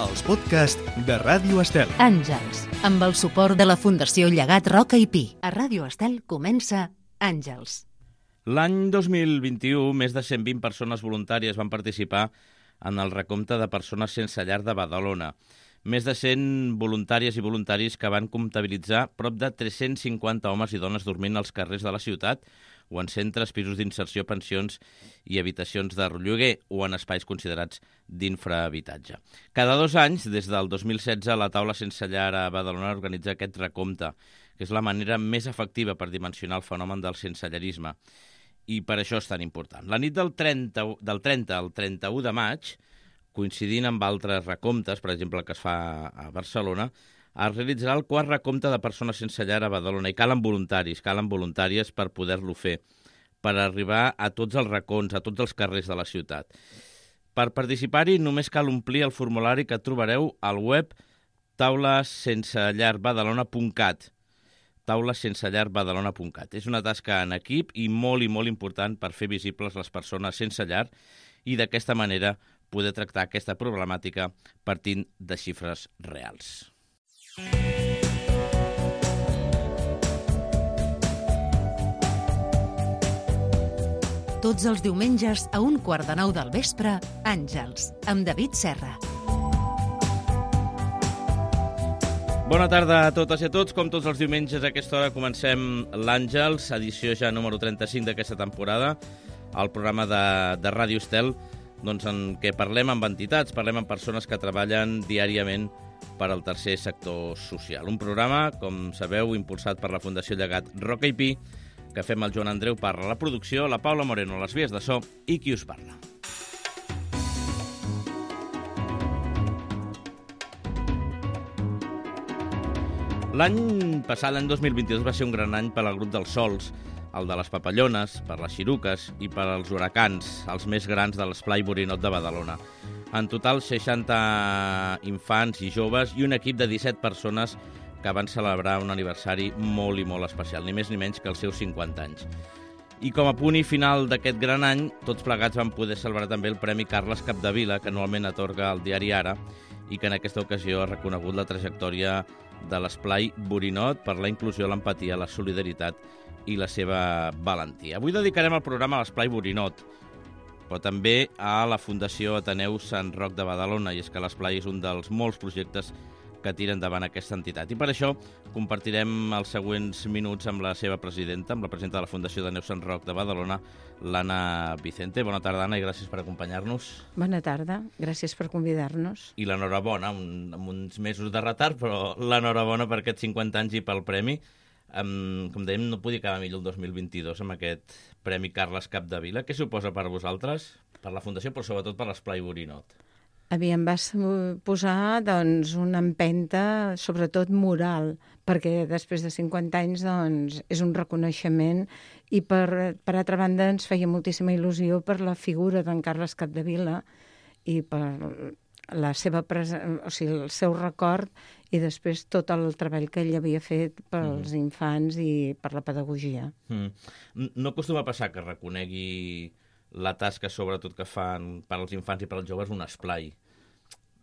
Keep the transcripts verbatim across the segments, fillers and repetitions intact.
els podcasts de Ràdio Estel. Àngels, amb el suport de la Fundació Llegat Roca i Pi. A Ràdio Estel comença Àngels. L'any dos mil vint-i-u, més de cent vint persones voluntàries van participar en el recompte de persones sense llar de Badalona. Més de cent voluntàries i voluntaris que van comptabilitzar prop de tres-cents cinquanta homes i dones dormint als carrers de la ciutat o en centres, pisos d'inserció, pensions i habitacions de lloguer o en espais considerats d'infrahabitatge. Cada dos anys, des del dos mil setze, la Taula Sense Llar a Badalona organitza aquest recompte, que és la manera més efectiva per dimensionar el fenomen del sensellarisme. I per això és tan important. La nit del trenta, del trenta al trenta-u de maig, coincidint amb altres recomptes, per exemple, que es fa a Barcelona, es realitzarà el quart recompte de persones sense llar a Badalona i calen voluntaris, calen voluntàries per poder-lo fer, per arribar a tots els racons, a tots els carrers de la ciutat. Per participar-hi només cal omplir el formulari que trobareu al web taula sense llar badalona punt cat. taula sense llar badalona punt cat. És una tasca en equip i molt i molt important per fer visibles les persones sense llar i d'aquesta manera poder tractar aquesta problemàtica partint de xifres reals. Tots els diumenges a un quart de nou del vespre, Àngels, amb David Serra. Bona tarda a totes i a tots. Com tots els diumenges a aquesta hora comencem l'Àngels, edició ja número trenta-cinc d'aquesta temporada, el programa de, de Ràdio Estel, doncs en què parlem amb entitats, parlem amb persones que treballen diàriament per al tercer sector social. Un programa, com sabeu, impulsat per la Fundació Llegat Roca i Pi, que fem el Joan Andreu Parra a la producció, la Paula Moreno a les vies de so i qui us parla. L'any passat, l'any dos mil vint-i-dos, va ser un gran any per al grup dels Sols, el de les Papallones, per les Xiruques i per als Huracans, els més grans de l'Esplai Borinot de Badalona. En total, seixanta infants i joves i un equip de disset persones que van celebrar un aniversari molt i molt especial, ni més ni menys que els seus cinquanta anys. I com a punt i final d'aquest gran any, tots plegats van poder celebrar també el Premi Carles Capdevila, que anualment atorga el diari Ara, i que en aquesta ocasió ha reconegut la trajectòria de l'Esplai Borinot per la inclusió, l'empatia, la solidaritat i la seva valentia. Avui dedicarem el programa a l'Esplai Borinot, però també a la Fundació Ateneu Sant Roc de Badalona, i és que l'Esplai és un dels molts projectes que tira endavant aquesta entitat. I per això compartirem els següents minuts amb la seva presidenta, amb la presidenta de la Fundació Ateneu Sant Roc de Badalona, l'Anna Vicente. Bona tarda, Anna, i gràcies per acompanyar-nos. Bona tarda, gràcies per convidar-nos. I l'enhorabona, un, amb uns mesos de retard, però l'enhorabona per aquests cinquanta anys i pel premi. Um, com dèiem, no podia acabar millor el dos mil vint-i-dos amb aquest Premi Carles Capdevila. Què suposa per vosaltres, per la Fundació, però sobretot per l'Esplai Borinot? A mi em va posar doncs, una empenta, sobretot moral, perquè després de cinquanta anys doncs, és un reconeixement i, per, per altra banda, ens feia moltíssima il·lusió per la figura d'en Carles Capdevila i per la seva presen... o sigui, el seu record i després tot el treball que ell havia fet pels mm. infants i per la pedagogia. Mm. No acostuma a passar que reconegui la tasca, sobretot, que fan per als infants i per als joves un esplai.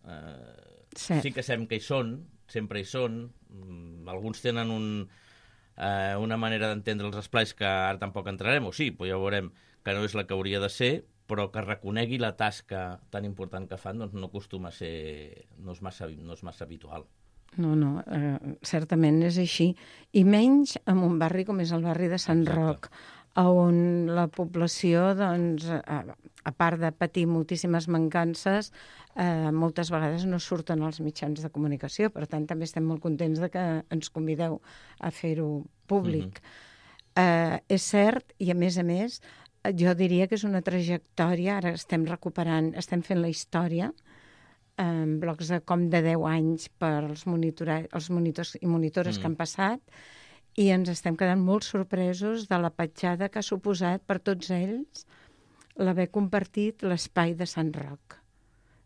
Uh, sí. sí que sabem que hi són, sempre hi són. Mm, alguns tenen un, uh, una manera d'entendre els esplais que ara tampoc entrarem, o sí, però ja veurem que no és la que hauria de ser, però que reconegui la tasca tan important que fan, doncs no acostuma a ser, no és massa, no és massa habitual. No, no, eh, certament és així. I menys en un barri com és el barri de Sant Exacte. Roc, on la població, doncs, a, a part de patir moltíssimes mancances, eh, moltes vegades no surten als mitjans de comunicació. Per tant, també estem molt contents de que ens convideu a fer-ho públic. Mm-hmm. eh, és cert, i a més a més, jo diria que és una trajectòria, ara estem recuperant, estem fent la història, en blocs de com de deu anys per als els monitors i monitores mm. que han passat, i ens estem quedant molt sorpresos de la petjada que ha suposat per tots ells l'haver compartit l'espai de Sant Roc.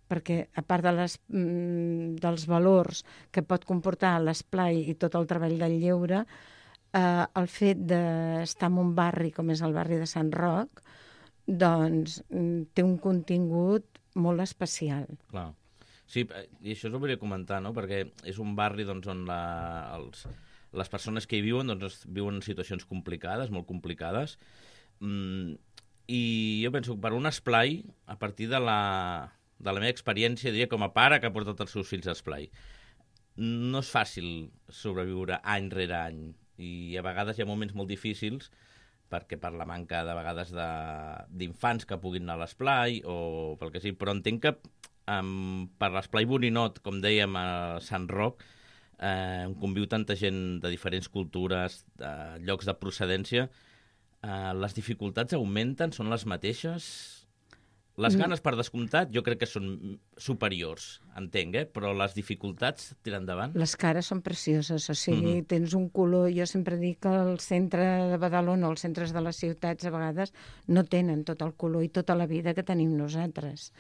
Perquè, a part de les, mm, dels valors que pot comportar l'esplai i tot el treball del lleure, eh, el fet d'estar en un barri com és el barri de Sant Roc, doncs té un contingut molt especial. Clar. Sí, i això us ho volia comentar, no? Perquè és un barri doncs, on la, els, les persones que hi viuen doncs, viuen en situacions complicades, molt complicades, mm, i jo penso que per un esplai, a partir de la, de la meva experiència, diria com a pare que ha portat els seus fills a esplai, no és fàcil sobreviure any rere any, i a vegades hi ha moments molt difícils perquè per la manca de vegades d'infants que puguin anar a l'esplai o pel que sigui, però entenc que um, per l'esplai Borinot, com dèiem a Sant Roc, eh, on conviu tanta gent de diferents cultures, de llocs de procedència, eh, les dificultats augmenten, són les mateixes? Les ganes, per descomptat, jo crec que són superiors, entenc, eh? Però les dificultats tiren endavant? Les cares són precioses, o sigui, Mhm. tens un color... Jo sempre dic que el centre de Badalona o els centres de les ciutats a vegades no tenen tot el color i tota la vida que tenim nosaltres.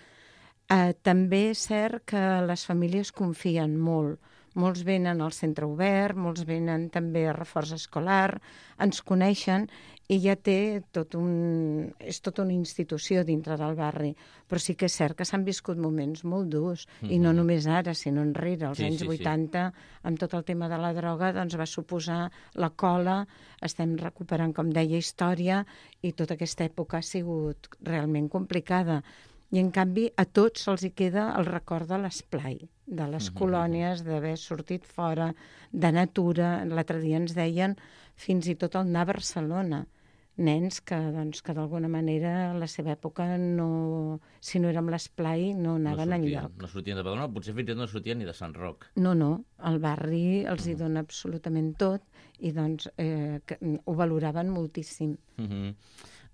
Eh, també és cert que les famílies confien molt. Molts venen al centre obert, molts venen també a reforç escolar, ens coneixen i ja té tot un... és tota una institució dintre del barri. Però sí que és cert que s'han viscut moments molt durs, mm-hmm. i no només ara, sinó enrere. Als sí, anys sí, vuitanta, sí. Amb tot el tema de la droga, doncs va suposar la cola, estem recuperant, com deia, història, i tota aquesta època ha sigut realment complicada. I, en canvi, a tots se'ls hi queda el record de l'esplai, de les mm-hmm. colònies, d'haver sortit fora, de natura. L'altre dia ens deien fins i tot el anar a Barcelona. Nens que, doncs, que d'alguna manera, a la seva època, no, si no era amb l'esplai, no anaven no sortien, enlloc. No sortien de Badalona, potser fins i tot no sortien ni de Sant Roc. No, no, el barri els hi dona absolutament tot i doncs eh, que, ho valoraven moltíssim. Mm-hmm.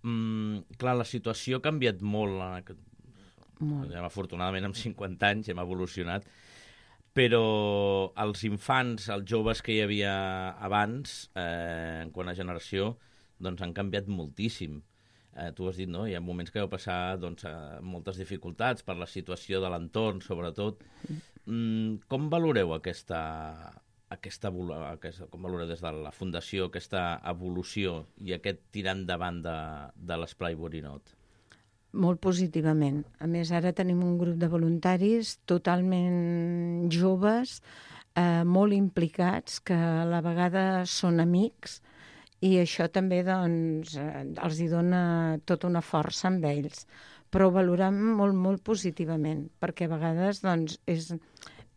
mm, clar, la situació ha canviat molt. En aquest... Molt. Afortunadament, amb cinquanta anys hem evolucionat, però els infants, els joves que hi havia abans, eh, en quant a generació, doncs han canviat moltíssim. Eh, tu has dit, no? Hi ha moments que heu passat doncs, moltes dificultats per la situació de l'entorn, sobretot. Mm, com valoreu aquesta, aquesta, aquesta, com valoreu des de la Fundació aquesta evolució i aquest tirar endavant de, de l'esplai Borinot? Molt positivament. A més, ara tenim un grup de voluntaris totalment joves, eh, molt implicats, que a la vegada són amics, i això també doncs, eh, els hi dona tota una força amb ells. Però ho valorem molt, molt positivament, perquè a vegades doncs, és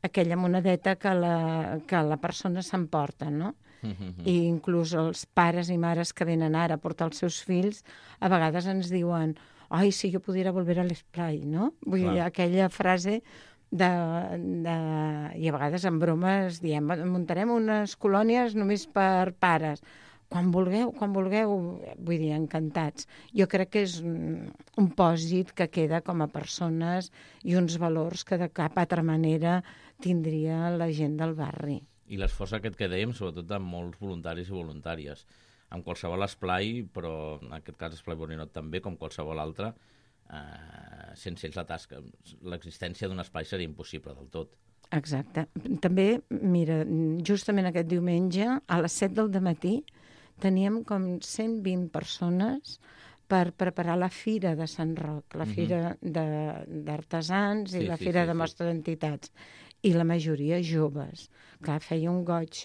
aquella monedeta que la, que la persona s'emporta, no? Mm-hmm. I inclús els pares i mares que venen ara a portar els seus fills, a vegades ens diuen ai, si jo pudiera volver a l'esplai, no? Vull dir, aquella frase de, de... I a vegades en bromes diem, muntarem unes colònies només per pares. Quan vulgueu, quan vulgueu, vull dir, encantats. Jo crec que és un pòsit que queda com a persones i uns valors que de cap altra manera tindria la gent del barri. I l'esforç aquest que dèiem, sobretot de molts voluntaris i voluntàries. En qualsevol esplai, però en aquest cas esplai Borinot també, com qualsevol altre, eh, sense ells la tasca, l'existència d'un esplai seria impossible del tot. Exacte. També, mira, justament aquest diumenge, a les set del dematí, teníem com cent vint persones per preparar la Fira de Sant Roc, la Fira d'Artesans i sí, la sí, Fira sí, de sí. Mostra d'Entitats. I la majoria joves. Clar, feia un goig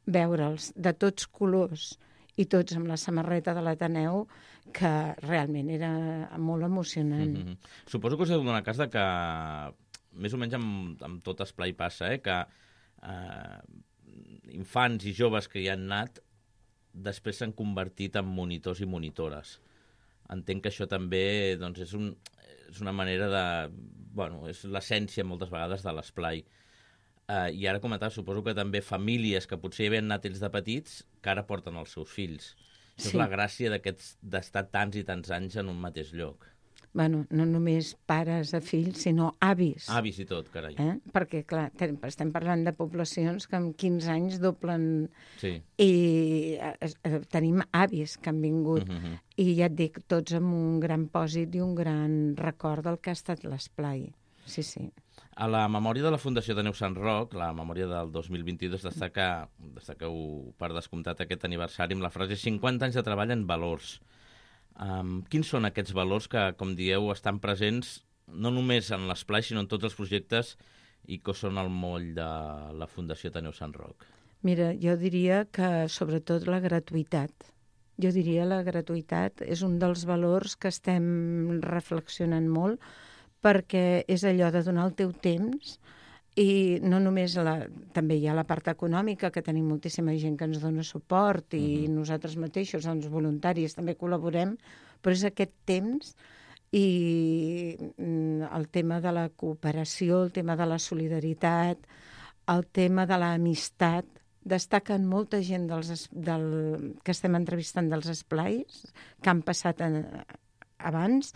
veure'ls de tots colors i tots amb la samarreta de l'Ateneu, que realment era molt emocionant. Mm-hmm. Suposo que us heu donat cas de que, més o menys amb, amb tot esplai passa, eh, que eh, infants i joves que hi han anat després s'han convertit en monitors i monitores. Entenc que això també doncs, és, un, és una manera de... Bueno, és l'essència moltes vegades de l'esplai. Uh, I ara comentava, suposo que també famílies que potser hi havien anat ells de petits que ara porten els seus fills. Això sí. És la gràcia d'estar tants i tants anys en un mateix lloc. Bueno, no només pares a fills, sinó avis. Avis i tot, carai. Eh? Perquè, clar, estem parlant de poblacions que en quinze anys doblen... Sí. I eh, tenim avis que han vingut. Mm-hmm. I ja et dic, tots amb un gran pòsit i un gran record del que ha estat l'esplai. Sí, sí. A la memòria de la Fundació Ateneu Sant Roc, la memòria del dos mil vint-i-dos, destaca, destaqueu per descomptat aquest aniversari amb la frase cinquanta anys de treball en valors. Um, quins són aquests valors que, com dieu, estan presents no només en l'esplai, sinó en tots els projectes i què són el moll de la Fundació Ateneu Sant Roc? Mira, jo diria que sobretot la gratuïtat. Jo diria la gratuïtat és un dels valors que estem reflexionant molt, perquè és allò de donar el teu temps i no només la, també hi ha la part econòmica, que tenim moltíssima gent que ens dona suport i uh-huh. nosaltres mateixos, els voluntaris, també col·laborem, però és aquest temps i el tema de la cooperació, el tema de la solidaritat, el tema de l'amistat. Destaquen molta gent dels, del, que estem entrevistant dels esplais, que han passat en, abans,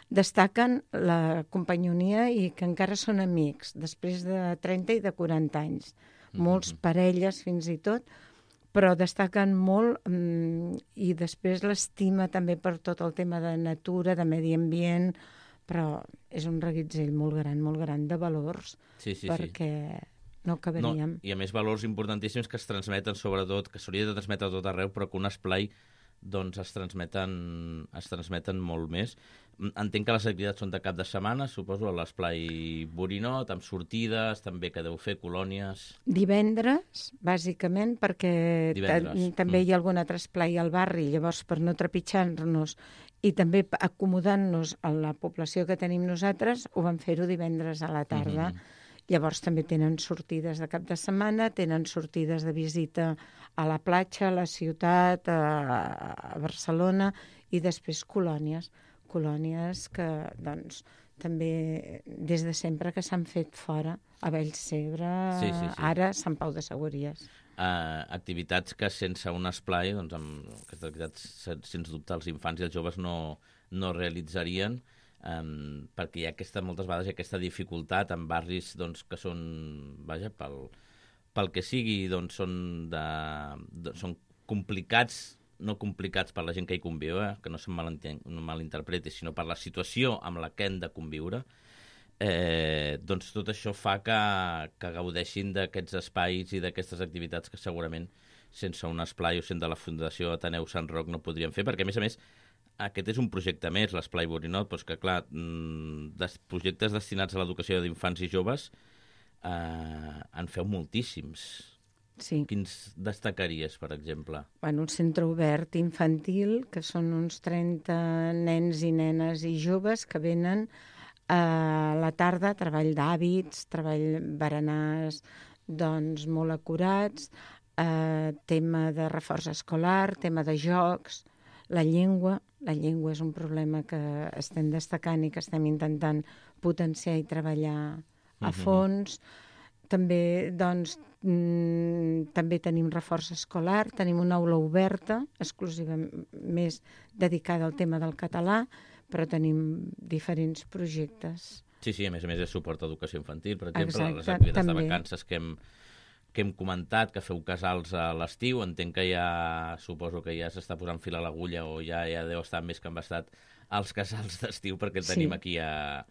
destaquen la companyonia i que encara són amics, després de trenta i de quaranta anys. Mm-hmm. Molts parelles fins i tot, però destaquen molt mm, i després l'estima també per tot el tema de natura, de medi ambient, però és un reguitzell molt gran, molt gran de valors, sí, sí, perquè... Sí. No acabaríem. No, i a més valors importantíssims que es transmeten sobretot, que s'hauria de transmetre a tot arreu, però que un esplai doncs, es, transmeten, es transmeten molt més. Entenc que les activitats són de cap de setmana, suposo, a l'esplai Borinot, amb sortides, també que deu fer colònies... Divendres, bàsicament, perquè Divendres. també mm. hi ha algun altre esplai al barri, llavors per no trepitjar-nos i també acomodant-nos a la població que tenim nosaltres, ho vam fer-ho divendres a la tarda. Mm-hmm. Llavors també tenen sortides de cap de setmana, tenen sortides de visita a la platja, a la ciutat, a, a Barcelona, i després colònies. Colònies que, doncs, també des de sempre que s'han fet fora, a Vallcebre, sí, sí, sí. Ara Sant Pau de Segúries. Uh, activitats que sense un esplai, doncs, amb aquestes activitats, sens dubte, els infants i els joves no, no realitzarien, Um, perquè hi ha aquesta, moltes vegades hi ha aquesta dificultat en barris doncs, que són, vaja, pel, pel que sigui, doncs són, de, de, són complicats, no complicats per la gent que hi conviu, eh? Que no se'n no malinterpreti, sinó per la situació amb la que hem de conviure, eh, doncs tot això fa que, que gaudeixin d'aquests espais i d'aquestes activitats que segurament sense un esplai o sense la Fundació Ateneu Sant Roc no podríem fer, perquè a més a més aquest és un projecte més, l'Esplai Borinot, però és que, clar, des, projectes destinats a l'educació d'infants i joves eh, en feu moltíssims. Sí. Quins destacaries, per exemple? Bueno, un centre obert infantil, que són uns trenta nens i nenes i joves que venen a la tarda, treball d'hàbits, treball berenars, doncs, molt acurats, eh, tema de reforç escolar, tema de jocs, la llengua. La llengua és un problema que estem destacant i que estem intentant potenciar i treballar a fons. Mm-hmm. També, doncs, mm, també tenim reforç escolar, tenim una aula oberta, exclusiva més dedicada al tema del català, però tenim diferents projectes. Sí, sí, a més a més és suport a educació infantil, per exemple, exacte, les activitats també. de vacances que hem, que hem comentat, que feu casals a l'estiu, entenc que ja, suposo que ja s'està posant fil a l'agulla o ja, ja deu estar més que embastat als casals d'estiu, perquè el tenim, sí. aquí a,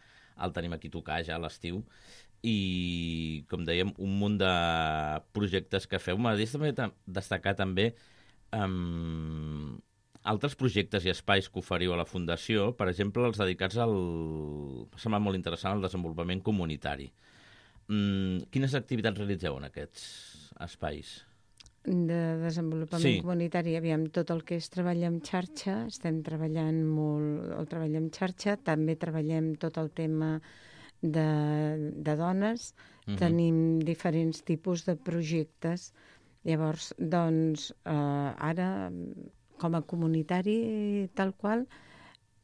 el tenim aquí a tocar ja a l'estiu. I, com dèiem, un munt de projectes que feu. M'agradaria també destacar també um, altres projectes i espais que oferiu a la Fundació, per exemple, els dedicats al... m'ha semblat molt interessant, al desenvolupament comunitari. Mm, quines activitats realitzeu en aquests espais? De desenvolupament sí. comunitari, aviam, tot el que és treball en xarxa, estem treballant molt el treball en xarxa, també treballem tot el tema de, de dones, uh-huh. tenim diferents tipus de projectes. Llavors, doncs, eh, ara, com a comunitari tal qual,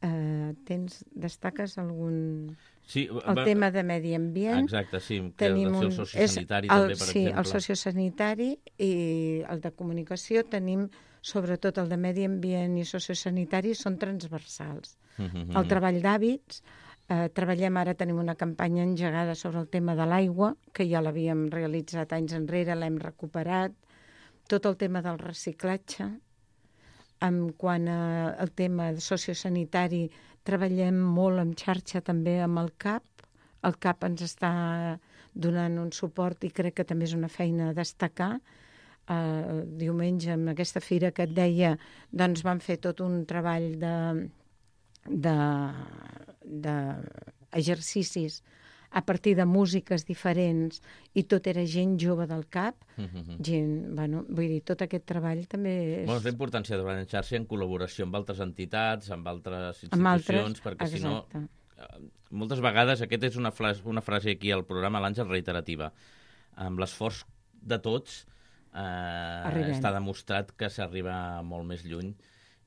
eh, tens, destaques algun... Sí, el va... tema de medi ambient. Exacte, sí. Tenim un... el sociosanitari, el, també, per sí, exemple. Sí, el sociosanitari i el de comunicació tenim, sobretot el de medi ambient i sociosanitari, són transversals. Uh-huh. El treball d'hàbits, eh, treballem ara, tenim una campanya engegada sobre el tema de l'aigua, que ja l'havíem realitzat anys enrere, l'hem recuperat. Tot el tema del reciclatge. En quant al tema sociosanitari, treballem molt en xarxa també amb el C A P. El C A P ens està donant un suport i crec que també és una feina a destacar. Uh, diumenge, amb aquesta fira que et deia, doncs vam fer tot un treball de, de, de exercicis a partir de músiques diferents, i tot era gent jove del cap, mm-hmm. gent, bueno, vull dir, tot aquest treball també és... Bueno, és la importància de treballar en xarxa en col·laboració amb altres entitats, amb altres institucions, amb altres, perquè exacte. Si no... Moltes vegades, aquesta és una frase, una frase aquí al programa, l'Àngel, reiterativa. Amb l'esforç de tots eh, està demostrat que s'arriba molt més lluny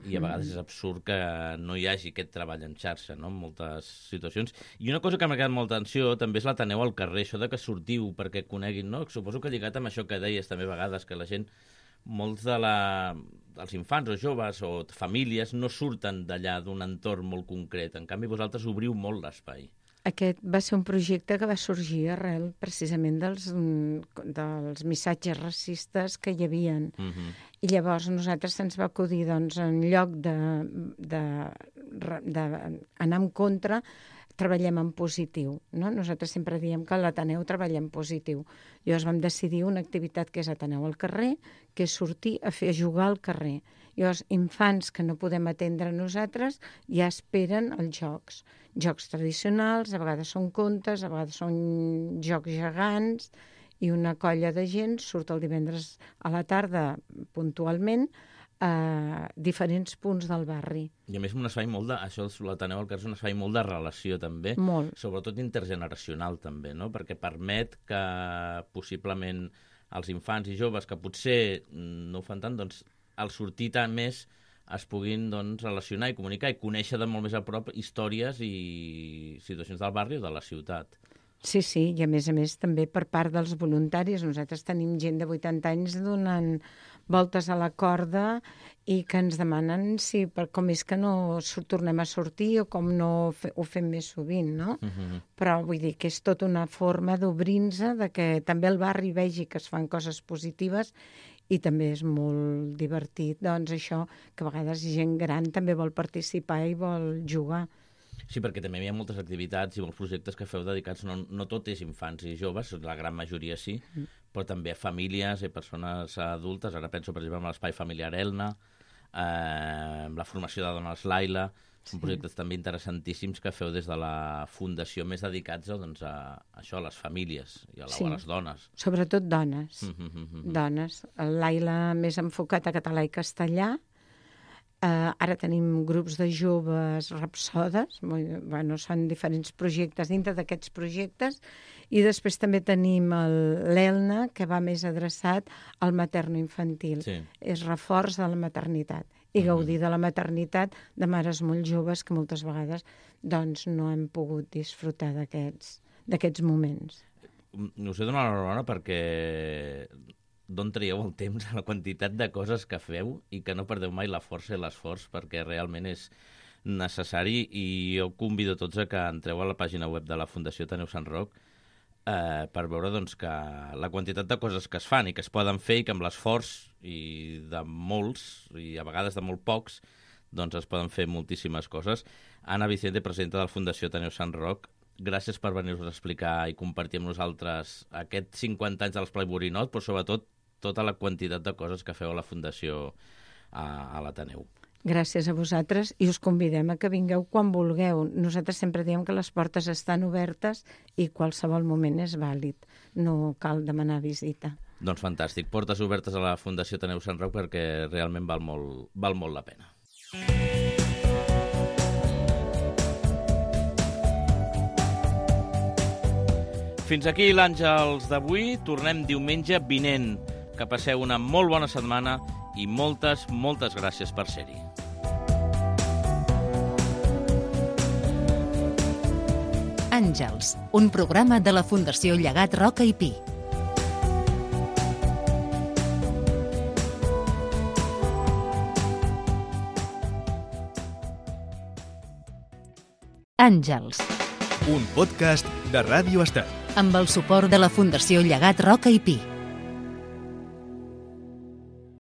i a vegades és absurd que no hi hagi aquest treball en xarxa, no?, en moltes situacions. I una cosa que m'ha quedat molta atenció també és l'Ateneu al carrer, això de que sortiu perquè coneguin, no? Suposo que lligat amb això que deies també a vegades, que la gent, molts de la, dels infants o joves o famílies no surten d'allà d'un entorn molt concret. En canvi, vosaltres obriu molt l'espai. Aquest va ser un projecte que va sorgir arrel precisament dels, dels missatges racistes que hi havia. Uh-huh. I llavors nosaltres se'ns va acudir, doncs, en lloc d'anar en contra, treballem en positiu. No? Nosaltres sempre diem que a l'Ateneu treballem en positiu. Llavors vam decidir una activitat que és Ateneu al carrer, que és sortir a fer a jugar al carrer. Llavors, infants que no podem atendre nosaltres ja esperen els jocs. Jocs tradicionals, a vegades són contes, a vegades són jocs gegants, i una colla de gent surt el divendres a la tarda puntualment a diferents punts del barri. I a més un espai molt de... Això l'Ateneu al carrer és un espai molt de relació també, molt. Sobretot intergeneracional també, no? Perquè permet que possiblement els infants i joves que potser no ho fan tant, doncs al sortir tant més es puguin doncs, relacionar i comunicar i conèixer de molt més a prop històries i situacions del barri o de la ciutat. Sí, sí, i a més a més també per part dels voluntaris. Nosaltres tenim gent de vuitanta anys donant voltes a la corda i que ens demanen si per com és que no tornem a sortir o com no ho fem més sovint, no? Uh-huh. Però vull dir que és tota una forma d'obrir-nos, de que també el barri vegi que es fan coses positives i també és molt divertit, doncs això, que a vegades gent gran també vol participar i vol jugar. Sí, perquè també hi ha moltes activitats i molts projectes que feu dedicats, no, no tot és infants i joves, la gran majoria sí, mm. però també a famílies i persones adultes. Ara penso, per exemple, en l'Espai Familiar Elna, eh, amb la formació de dones Laila, són sí. projectes també interessantíssims que feu des de la Fundació, més dedicats doncs, a això, a les famílies i a, la, sí. a les dones. Sobretot dones. Mm -hmm. Dones. El Laila més enfocat a català i castellà. Uh, ara tenim grups de joves rapsodes, bueno, són diferents projectes dintre d'aquests projectes, i després també tenim l'Elna, que va més adreçat al materno-infantil. Sí. És reforç de la maternitat i gaudir de la maternitat de mares molt joves que moltes vegades doncs, no hem pogut disfrutar d'aquests moments. Us he donat l'enhorabona perquè d'on traieu el temps a la quantitat de coses que feu i que no perdeu mai la força i l'esforç, perquè realment és necessari, i jo convido tots a que entreu a la pàgina web de la Fundació Ateneu Sant Roc eh, per veure doncs, que la quantitat de coses que es fan i que es poden fer i que amb l'esforç i de molts, i a vegades de molt pocs, doncs es poden fer moltíssimes coses. Anna Vicente, presidenta de la Fundació Ateneu Sant Roc, gràcies per venir-nos a explicar i compartir amb nosaltres aquests cinquanta anys de l'Esplai Borinot, però sobretot tota la quantitat de coses que feu a la Fundació a, a l'Ateneu. Gràcies a vosaltres i us convidem a que vingueu quan vulgueu. Nosaltres sempre diem que les portes estan obertes i qualsevol moment és vàlid. No cal demanar visita. Doncs fantàstic. Portes obertes a la Fundació Ateneu Sant Roc perquè realment val molt, val molt la pena. Fins aquí l'Àngels d'avui. Tornem diumenge vinent. Que passeu una molt bona setmana i moltes, moltes gràcies per ser-hi. Àngels, un programa de la Fundació Llegat Roca i Pi. Àngels. Un podcast de Ràdio Estel. Amb el suport de la Fundació Llegat Roca i Pi.